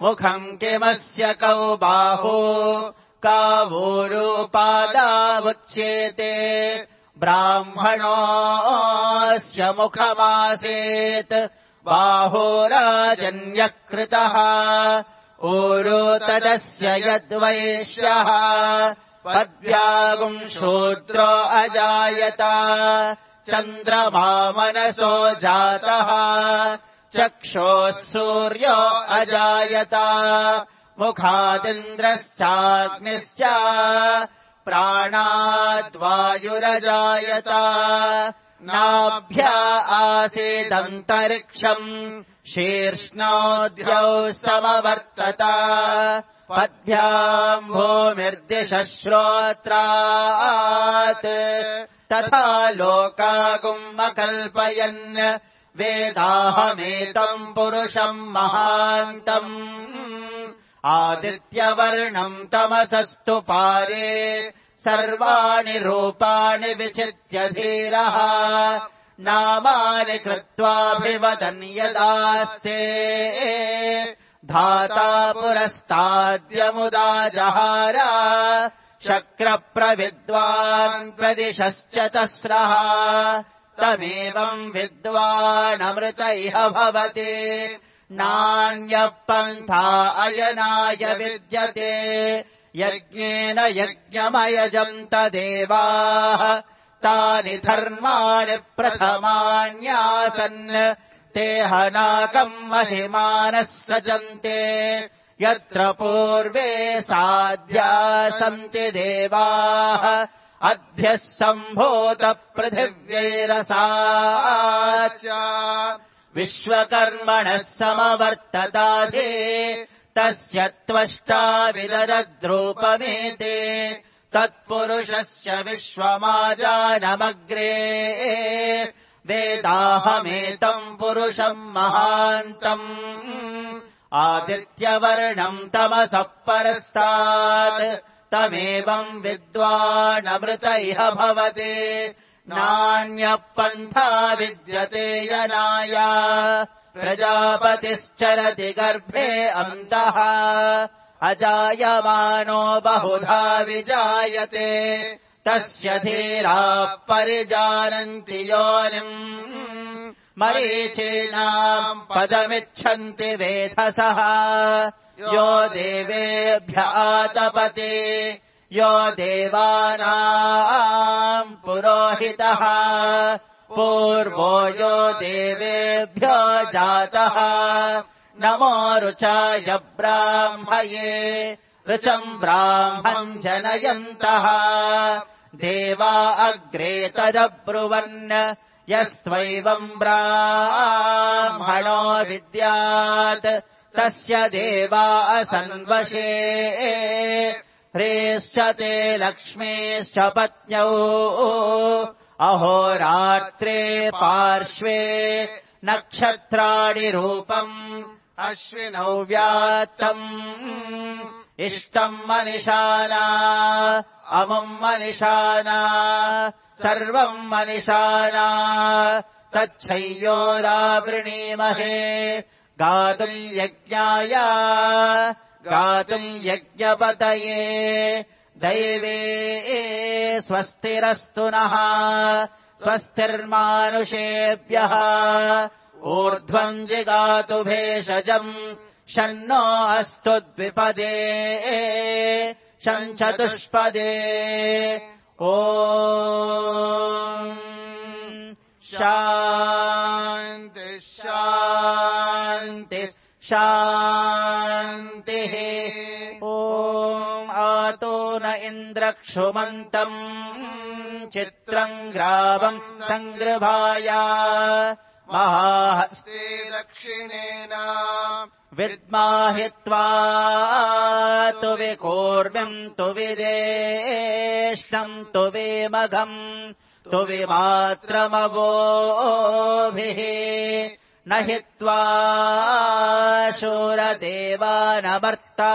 मुखम् किमस्य कौ बाहु कावूरूपादावुच्येते ब्राह्मणोऽस्य मुखमासीत् बाहुराजन्यकृतः ऊरू तदस्य यद्वैश्यः पद्भ्यागुम् शूद्रो अजायत चन्द्रमा मनसो जातः चक्षोः सूर्यो अजायत मुखादिन्द्रश्चाग्निश्च प्राणाद्वायुरजायत नाभ्या आसीदन्तरिक्षम् शीर्ष्णोऽद्यौ समवर्तत पद्भ्याम् भूमिर्दिशः श्रोत्रात् तथा लोकागुम् वेदाहमेतम् पुरुषम् महान्तम् आदित्यवर्णम् तमसस्तु पारे सर्वाणि रूपाणि विचित्य धीरः नामानि कृत्वाभिवदन् यदास्ते धाता पुरस्ताद्यमुदा जहार शक्रप्रविद्वान् प्रदिशश्च तस्रः तमेवम् विद्वानमृत इह भवति नान्यः पन्था अयनाय विद्यते यज्ञेन यज्ञमयजन्त देवाः तानि धर्माणि प्रथमान्यासन् ते हनाकम् महिमानः सजन्ते यत्र पूर्वे साध्या सन्ति देवाः अध्यः सम्भूत पृथिव्यैरसाच विश्वकर्मणः समवर्तताधे तस्य त्वष्टा विददद्रूपमेते तत्पुरुषस्य विश्वमाजानमग्रे वेदाहमेतम् पुरुषम् महान्तम् आदित्यवर्णम् तमसः परस्तात् तमेवम् विद्वानमृत इह भवते नान्यः पन्था विद्यते यनाय प्रजापतिश्चरति गर्भे अन्तः अजायमानो बहुधा विजायते तस्य धीराः परिजानन्ति योनिम् मरीचीनाम् पदमिच्छन्ति वेधसः यो देवेभ्य आतपते यो देवानाम् पुरोहितः पूर्वो यो देवेभ्यो जातः नमो ऋचाय ब्राह्मये ऋचम् ब्राह्मम् जनयन्तः देवा अग्रे तदब्रुवन् यस्त्वैवम् ब्राह्मणो विद्यात् तस्य देवा असन्वशे ह्रीश्च ते लक्ष्मीश्च पत्न्यौ अहोरात्रे पार्श्वे नक्षत्राणि रूपम् अश्विनौ व्यात्तम् इष्टम् मनिषाना अमुम् मनिषाना सर्वम् मनिषाना तच्छय्योरावृणीमहे गातुम् यज्ञाय गातुम् यज्ञपतये दैवे स्वस्तिरस्तु नः स्वस्तिर्मानुषेभ्यः ऊर्ध्वम् जिगातु भेषजम् शन्नो अस्तु द्विपदे शञ्चतुष्पदे ॐ शान्ति शान्ति शान्तिः ॐ आतो न इन्द्रक्षुमन्तम् चित्रम् ग्रावम् सङ्गृभाय महाहस्ते दक्षिणेन विद्माहित्वा तु विकूर्म्यम् तु विदेष्टम् तु विमघम् तु विमात्रमवोभिः न हित्वा शूरदेवानमर्ता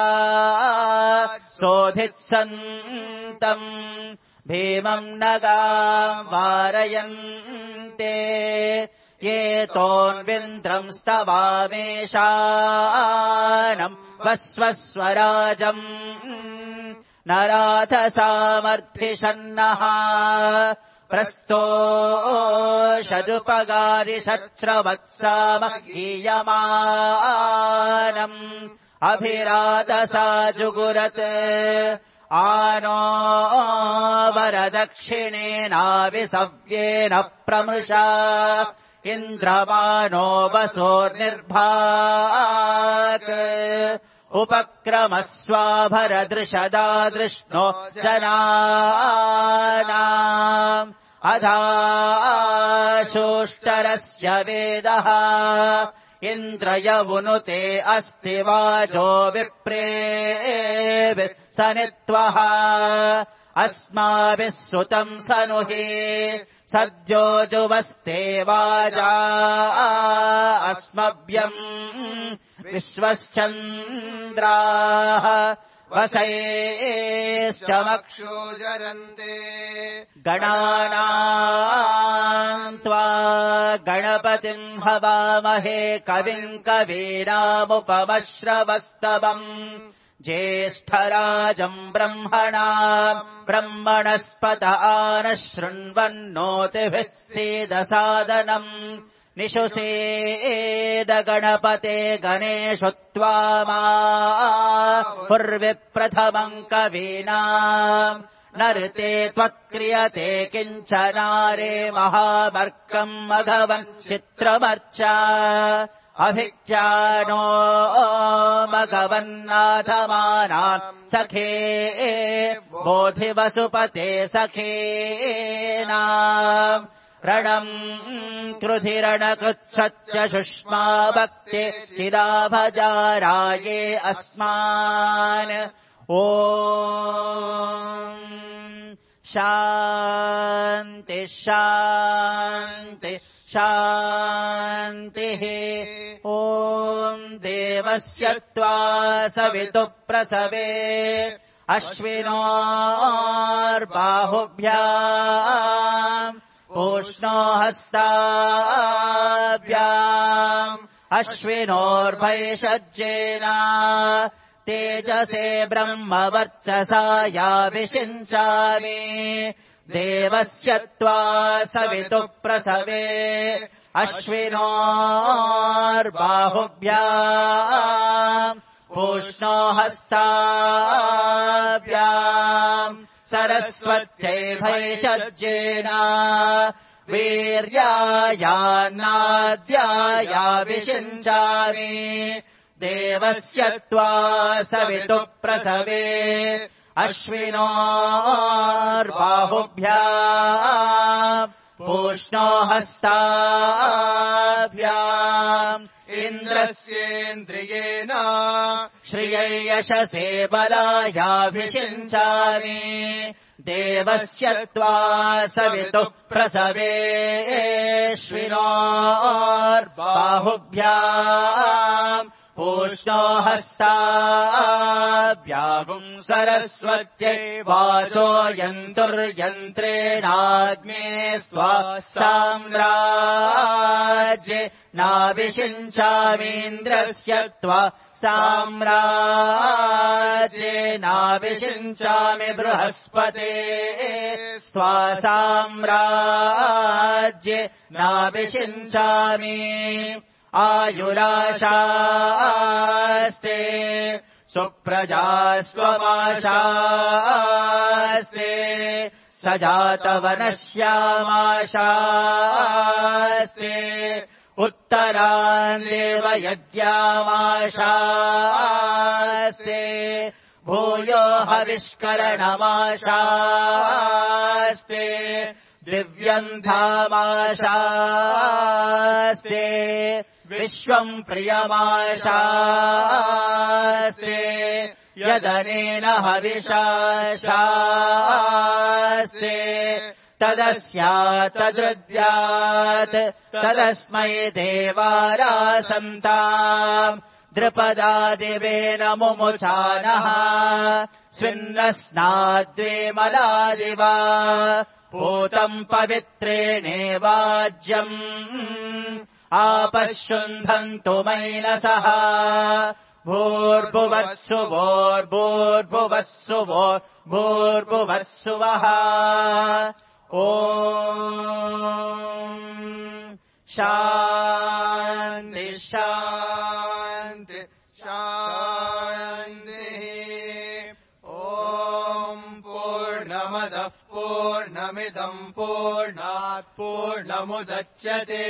सोऽधित्सन्तम् भीमम् नगाम् वारयन्ते ये तोन्विन्द्रम् स्तवामेषानम् वस्वस्वराजम् नराथ सामर्थिषन्नः प्रस्तोषदुपगारिषच्छ्रवत्सामगीयमानम् अभिरातसा जुगुरत् आनो वरदक्षिणेनाविसव्येन प्रमृषा इन्द्रमानो वसोर्निर्भाक् उपक्रमस्वाभरदृशदादृष्णो जनानाम् अधाशोष्टरस्य वेदः इन्द्रयवुनुते अस्ति वाजो विप्रेभिः सनित्वः अस्माभिः सुतम् सनुहि सद्यो जुवस्ते वाजा अस्मभ्यम् विश्वश्चन्द्राः वसयेश्च मक्षोजरन्ते गणानाम् त्वा गणपतिम् हवामहे कविम् कवीनामुपमश्रवस्तवम् ज्येष्ठराजम् ब्रह्मणाम् ब्रह्मणस्पत आनः शृण्वन्नोतिभिः सीदसादनम् निशुसेदगणपते गणेषु त्वामा हुर्विप्रथमम् कवीनाम् नृते त्वत्क्रियते किञ्चनारे महामर्कम् मघवन् चित्रमर्चा अभिज्ञानो मघवन्नाथमानाम् सखे बोधिवसुपते सखेनाम् रणम् कृधिरणकृत्सत्य सुष्मा भक्ते चिदाभजाराये अस्मान् ॐ शान्ति शान्ति शान्तिः ॐ देवस्य त्वा सवितुः प्रसवे अश्विनोर्बाहुभ्याम् पूष्णो हस्ताभ्याम् अश्विनोर्भैषज्येन तेजसे ब्रह्मवर्चसा या विषिञ्चामि देवस्य त्वा सवितुः प्रसवे अश्विनोर्बाहुभ्याम् पूष्णो हस्ताभ्याम् सरस्वत्यै भैषज्येन वीर्यायान्नाद्याया विषिञ्चामि देवस्य त्वा सवितुः प्रसवे अश्विनोर्बाहुभ्याम् पूष्णो हस्ताभ्याम् इन्द्रस्येन्द्रियेण श्रियै यशसे बलायाभिषिञ्चामि देवस्य त्वा सवितुः प्रसवे अश्विनोर्बाहुभ्याम् पूष्णो हस्ताभ्याम् सरस्वत्यै वाचो यन्तुर्यन्त्रेणाग्ने स्वासाम्राज्ये नाभिषिञ्चामीन्द्रस्य त्वा साम्राज्ये नाभिषिञ्चामि बृहस्पते स्वासाम्राज्ये नाभिषिञ्चामि आयुराशास्ते सुप्रजास्त्वमाशास्ते सजातवनश्यामाशास्ते उत्तरान् देवयज्ञामाशास्ते भूयो हविष्करणमाशास्ते दिव्यम् धामाशास्ते विश्वम् प्रियमाशास्ते यदनेन हविषाशास्ते तदस्यात् तदृद्यात् तदस्मै देवारासन्ताम् द्रुपदादिवेन मुमुचानः स्विन्नस्नाद्वे मलादिवा पूतम् पवित्रेणेवाज्यम् आपश्युन्धन्तु मैनसः भूर्भुवत्सु भोर्भूर्भुवस्सु भूर्भुवस्सुवः ॐ शान्ति शान्ति शान्तिः ॐ पूर्णमदः पूर्णमिदम् पूर्णात् पूर्णमुदच्यते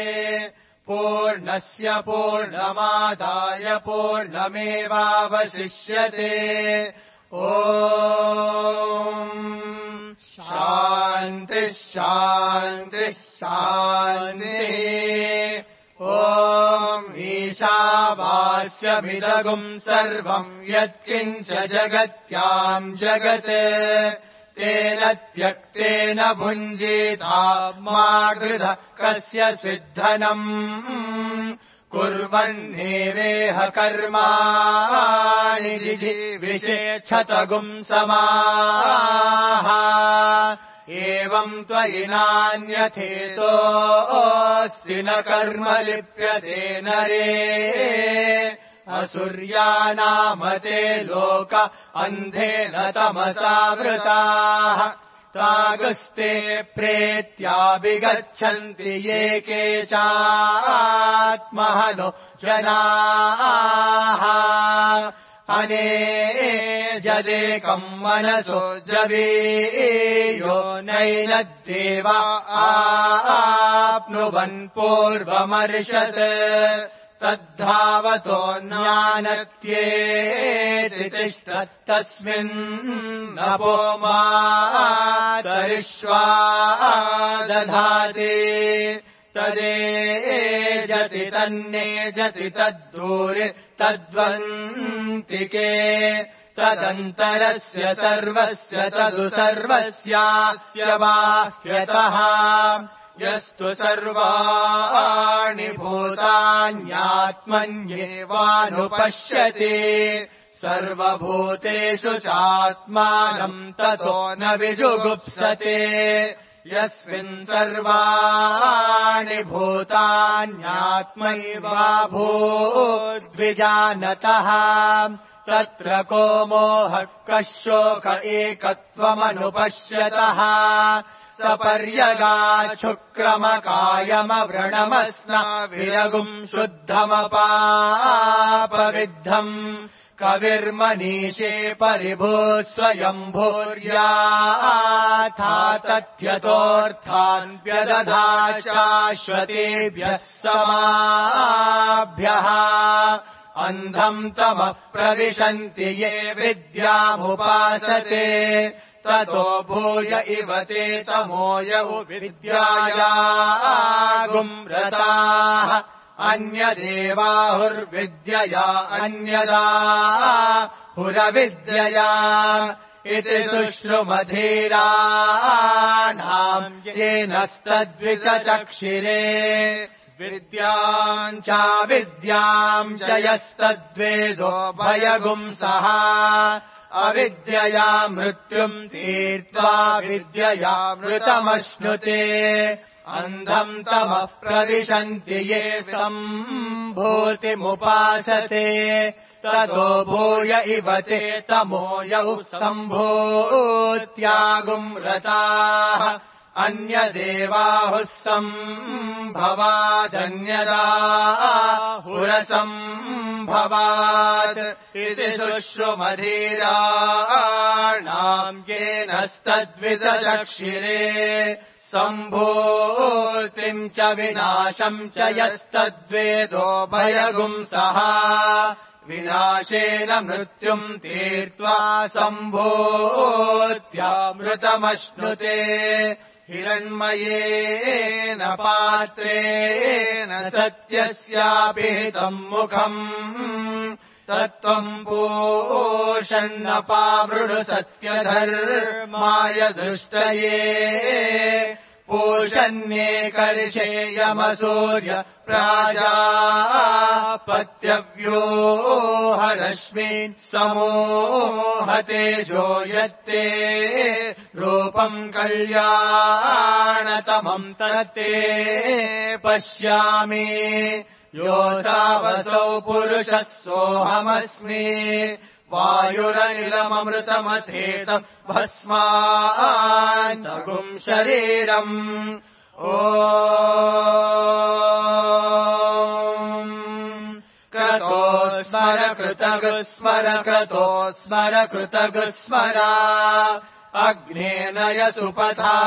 पूर्णस्य पूर्णमादाय पूर्णमेवावशिष्यते ॐ शान्तिः शान्तिः शान्तिः ॐ ईशावास्यमिदगुम् सर्वम् यत्किञ्च जगत्याम् जगत् तेन त्यक्तेन भुञ्जीता मा गृध कस्य सिद्धनम् कुर्वन्नेवेह कर्माणि जिजीविषेच्छतगुम् समाः एवम् त्वयि नान्यथेतोऽस्ति न कर्म लिप्यते नरे असुर्यानामते लोक अन्धेन तमसा वृताः तागुस्ते प्रेत्याभिगच्छन्ति ये के चात्महनो जनाः अने जदेकम् मनसो जवीयो नैनद्देवा आप्नुवन् पूर्वमर्षत् तद्धावतो ज्ञानत्येति तिष्ठत्तस्मिन् नपो मातरिष्वा दधाति तदेजति तन्नेजति तद्दूरे तद्वन्तिके तदन्तरस्य सर्वस्य तदु सर्वस्यास्य बाह्यतः यस्तु सर्वाणि भूतान्यात्मन्येवानुपश्यति सर्वभूतेषु चात्मानम् ततो न विजुगुप्सते यस्मिन् सर्वाणि भूतान्यात्मैवाभूद्विजानतः तत्र को मोहः कः शोक एकत्वमनुपश्यतः सपर्यगाच्छुक्रमकायमव्रणमस्नाविरगुम् शुद्धमपापविद्धम् कविर्मनीषे परिभूत् स्वयम्भूर्याथा तथ्यतोऽर्थान् व्यदधा शाश्वतेभ्यः समाभ्यः अन्धम् तमः प्रविशन्ति ये विद्यामुपासते ततो भूय इव ते तमोय विद्यायागुम्रताः अन्यदेवाहुर्विद्यया अन्यदा हुरविद्यया इति शुश्रुमधीराणाम् येनस्तद्विचचक्षिरे विद्याम् चाविद्याम् च यस्तद्वेदो भयगुंसः अविद्यया मृत्युम् तीर्त्वा विद्यया मृतमश्नुते अन्धम् तमः प्रविशन्ति ये सम्भूतिमुपासते ततो भूय इव ते तमोयौ सम्भूत्यागुम्रताः अन्यदेवाहुः सम्भवादन्यदा हुरसम्भवात् इति शुश्रुमधीराणाम् येनस्तद्विदचक्षिरे सम्भूतिम् च विनाशम् च यस्तद्वेदो भयगुंसः विनाशेन मृत्युम् तीर्त्वा सम्भूत्यामृतमश्नुते हिरण्मयेन पात्रेण सत्यस्यापिहितम् मुखम् तत्त्वम् पूषन्नपावृणु सत्यधर्माय दृष्टये पूषन्येकर्षेयमसूर्य प्राजापत्यव्योहरश्मीन् समूहतेजो यत्ते रूपम् कल्याणतमम् तत्ते पश्यामि योऽसावसौ पुरुषः सोऽहमस्मि वायुरनिलममृतमथेतम् भस्मान्तगुम् शरीरम् ॐ क्रतो स्मर कृतगुस्मर क्रतो स्मर कृतगुस्मरा अग्नेनय सुपथा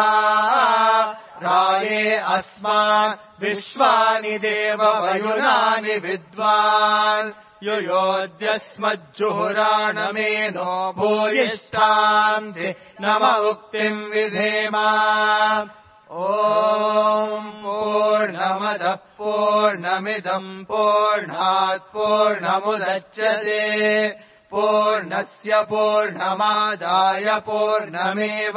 राये अस्मान् विश्वानि देववयुनानि विद्वान् युयोद्यस्मज्जुहुराणमेनो भूयिष्ठाम् नम उक्तिम् विधेमा ॐ पूर्णमदः पूर्णमिदम् पूर्णात् पूर्णमुदच्यते पूर्णस्य पूर्णमादाय पूर्णमेवावशिष्यते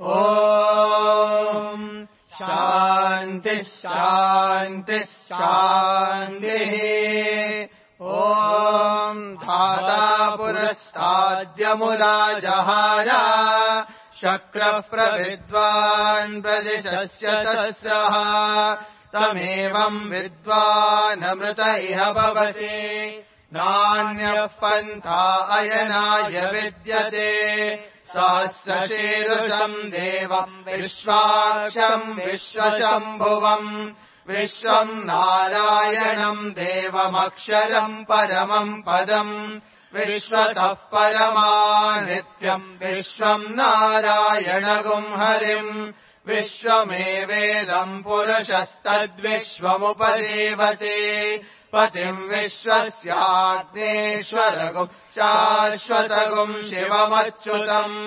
ॐ शान्तिः शान्तिः शान्तिः ॐ धाता पुरस्ताद्यमुराजहार शक्रः प्रविद्वान् प्रदिशस्य तस्रः तमेवम् विद्वानमृत इह भवति नान्यः पन्था अयनाय विद्यते सहस्रशीर्षम् देवम् विश्वाक्षम् विश्वशम्भुवम् विश्वम् नारायणम् देवमक्षरम् परमम् पदम् विश्वतः परमानित्यम् विश्वम् नारायणगुम् हरिम् विश्वमेवेदम् पुरुषस्तद्विश्वमुपदेवते पतिम् विश्वस्याग्नेश्वरगुम् शाश्वतगुम् शिवमच्युतम्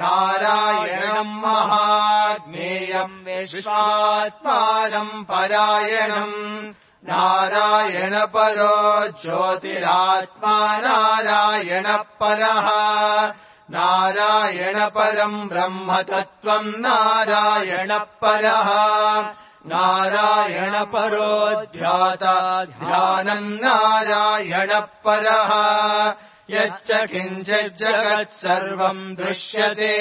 नारायणम् महाज्ञेयम् विश्वात्मानम् परायणम् नारायणपरो ज्योतिरात्मा नारायणपरः नारायणपरम् ब्रह्मतत्त्वम् नारायणपरः नारायणपरो ध्याता ध्यानम् नारायणपरः यच्च किञ्चिज्जगत् सर्वम् दृश्यते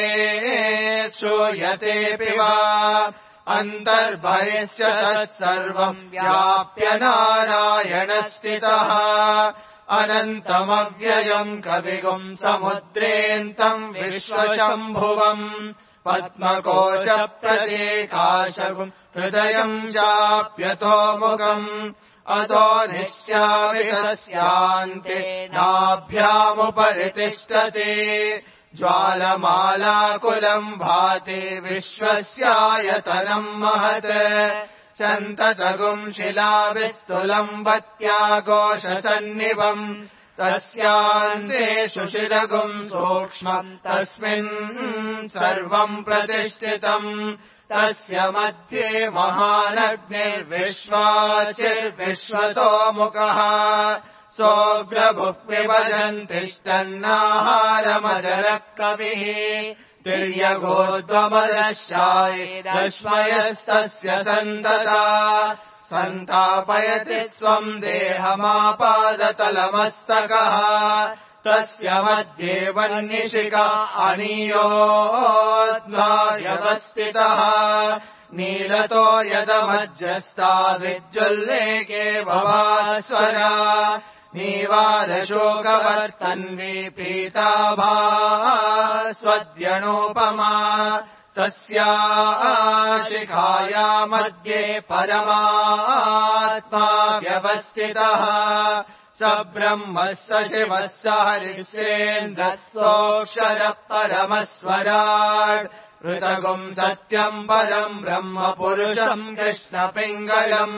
श्रूयतेऽपि वा अन्तर्बहिश्च तत्सर्वम् व्याप्य नारायणस्थितः अनन्तमव्ययम् कविगुम् समुद्रेऽन्तम् विश्वशम्भुवम् पद्मकोशप्रत्येकाशगुम् हृदयम् चाप्यतोमुखम् अतो निश्यामि तस्यान्ते नाभ्यामुपरि तिष्ठति ज्वालमालाकुलम् भाति विश्वस्यायतनम् महत् सन्ततगुम् शिलाविस्तुलम् वत्याघोषसन्निभम् तस्यान्ते सुशिरगुम् सूक्ष्मम् तस्मिन् सर्वम् प्रतिष्ठितम् तस्य मध्ये महानग्निर्विश्वाचिर्विश्वतोमुखः सोऽग्रभुः पिबजन् तिष्ठन्नाहारमजरः कविः तिर्यगोद्वमदशायेदश्मयस्तस्य सन्तता सन्तापयति स्वम् देहमापादतलमस्तकः तस्य मध्ये वह्निशिखा अनीयोऽध्वायवस्थितः नीलतो यदमज्जस्ता विद्युल्लेके भवास्वरा नीवालशोकवर्तन्वी पीताभा स्वद्यणोपमा तस्या शिखाया मध्ये परमात्मा व्यवस्थितः स ब्रह्मः स शिवः स हरिश्चेन्द्रः सोऽक्षरः परमस्वराट् ऋतगुम् सत्यम् परम् ब्रह्म पुरुषम् कृष्णपिङ्गलम्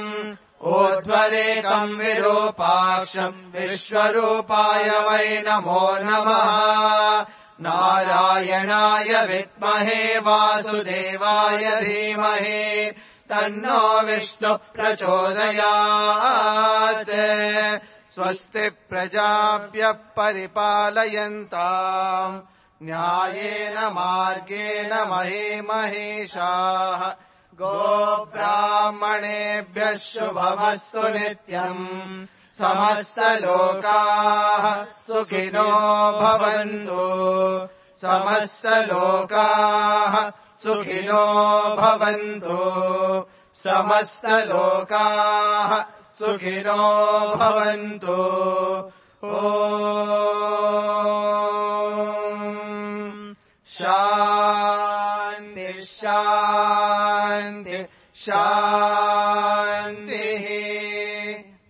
ऊर्ध्वरेकम् विरूपाक्षम् विश्वरूपाय वै नमो नमः नारायणाय विद्महे वासुदेवाय धीमहि तन्नो विष्णुः प्रचोदयात् स्वस्ति प्रजाभ्यः परिपालयन्ताम् न्यायेन मार्गेण महे महिषाः गोब्राह्मणेभ्यः शुभमस्तु नित्यम् समस्तलोकाः सुखिनो भवन्तु समस्तलोकाः सुखिनो भवन्तु समस्तलोकाः सुखिनो भवन्तु ॐ शान्ति शान्ति शान्ति शान्ति